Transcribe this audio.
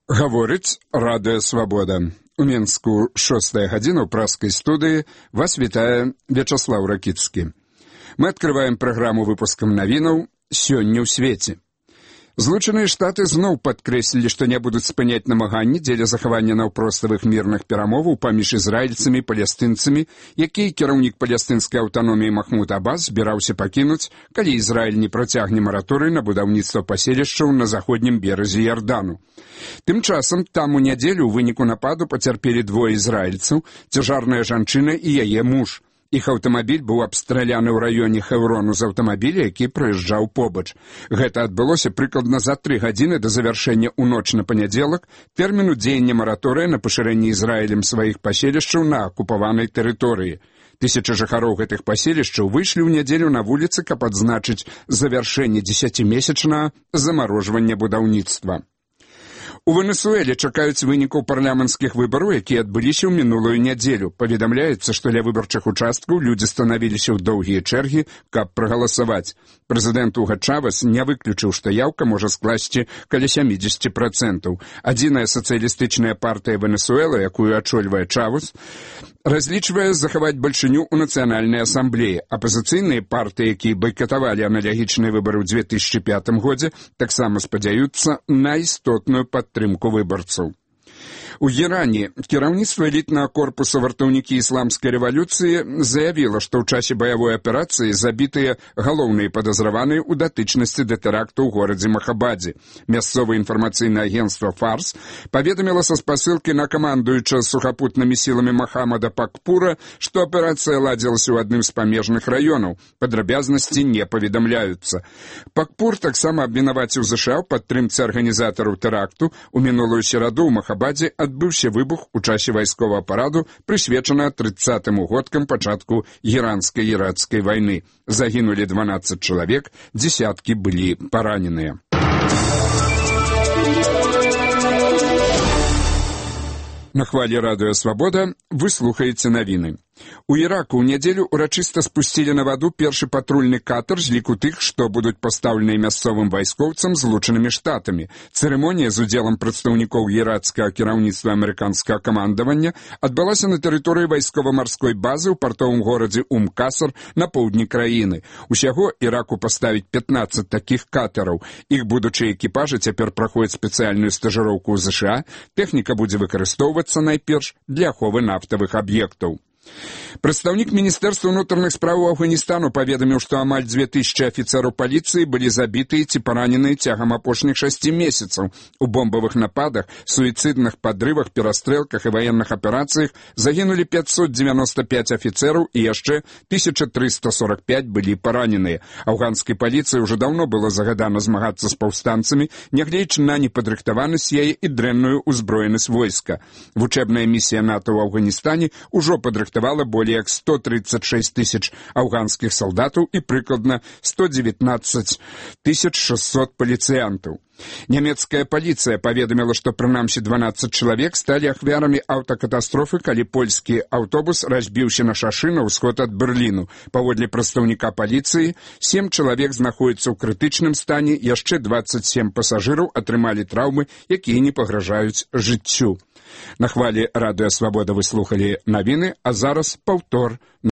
Гаворыць Радыё Свабода. У Мінску 6 гадзіна ў праскай студыі вас вітае Вячаслаў Ракіцкі. Мы адкрываем праграму выпускам навінаў «Сёння ў свеце». Злучаныя Штаты зноў падкрэслілі, што не будуць спыняць намаганні дзеля захавання наўпроставых мірных перамоваў паміж ізраільцамі і палестынцамі, якія кіраўнік палестынскай аўтаноміі Махмуд Аббас збіраўся пакінуць, калі Ізраіль не працягне мараторый на будаўніцтва паселішчаў на заходнім беразе Ярдану. Тым часам там у нядзелю ў выніку нападу пацярпелі двое ізраільцаў, цяжарная жанчына і яе муж. Іх аўтамабіль быў абстраляны ў раёне Хеврону з аўтамабіля, які праязджаў побач. Гэта адбылося прыкладна за 3 гадзіны да завяршэння ў ноч на панядзелак тэрміну дзеяння мараторыя на пашырэнне Ізраілем сваіх паселішчаў на акупаванай тэрыторыі. Тысячы жыхароў гэтых паселішчаў выйшлі ў нядзелю на вуліцы, каб адзначыць завяршэнне 10-месячнага замарожвання будаўніцтва. У Венесуэле чакаюць вынікаў парламенцкіх выбараў, якія адбыліся ў мінулую нядзелю. Паведамляецца, што ля выбарчых участкаў людзі станавіліся ў доўгія чэргі, каб прагаласаваць. Прэзідэнт Уга Чавес не выключыў, што яўка можа скласці каля 70%. Адзіная сацыялістычная партыя Венесуэлы, якую ачольвае Чавес, разлічвае захаваць бальшыню ў нацыянальнай асамблеі. Апазіцыйныя партыі, якія байкатавалі аналагічныя выбары ў 2005 годзе, таксама спадзяюцца на істотную падтрымку выбарцаў. У Іране кіраўніцтва элітнага корпуса вартаўнікі ісламскай рэвалюцыі заявіла, што ў часе баявой аперацыі забітыя галоўныя падазраваныя ў датычнасці да тэракту ў горадзе Махабадзе. Мясцовае інфармацыйнае агенцтва «Фарс» паведаміла са спасылкі на камандуючага сухапутнымі сіламі Махамада Пакпура, што аперацыя ладзілася ў адным з памежных раёнаў. Падрабязнасці не паведамляюцца. Пакпур таксама абвінаваціў ЗША ў падтрымцы арганізатараў тэракту. У мінулую сераду ў Махабадзе адбыўся выбух у часе вайсковага параду, прысвечана 30-м годкам пачатку іранска-іракскай вайны. Загінулі 12 чалавек, дзесяткі былі параненыя. На хвалі Радыё Свабода вы слухаеце навіны. У Іраку ў нядзелю урачыста спусцілі на ваду першы патрульны катер з ліку тых, што будуць пастаўленыя мясцовым вайскоўцам Злучанымі Штатамі. Цырымонія з удзелам прадстаўнікоў іракскага кіраўніцтва амерыканскага камандавання адбылася на тэрыторыі вайскова-марской базы ў партовым горадзе Ум-Касар на поўдні краіны. Усяго Іраку паставіць 15 такіх катэраў. Іх будучыя экіпажы цяпер праходзяць спецыяльную стажыроўку ў ЗША. Тэхніка будзе выкарыстоўвацца найперш для аховы нафтавых аб'ектаў. Прадстаўнік Міністэрства ўнутраных спраў Афганістану паведаміў, што амаль 2000 афіцэраў паліцыі былі забітыя ці параненыя цягам апошніх 6 месяцаў. У бомбавых нападах, суіцыдных падрывах, перастрэлках і ваенных аперацыях загінулі 595 афіцэраў і яшчэ 1345 былі параненыя. Афганскай паліцыі ўжо даўно было загадана змагацца з паўстанцамі, нягледзячы на непадрыхтаванасць яе і дрэнную ўзброенасць войска. Вучэбная місія НАТО ў Афганістане ўжо падрыхтавала болей як 136 тысяч афганскіх салдатаў і прыкладна 119 600 паліцыянтаў. Нямецкая паліцыя паведаміла, што прынамсі 12 чалавек сталі ахвярамі аўтакатастрофы, калі польскі аўтобус разбіўся на шашы на ўсход ад Берліну. Паводле прадстаўніка паліцыі, 7 чалавек знаходзяцца ў крытычным стане, яшчэ 27 пасажыраў атрымалі траўмы, якія не пагражаюць жыццю. На хвалі Радыё Свабода вы слухалі навіны, а зараз паўтор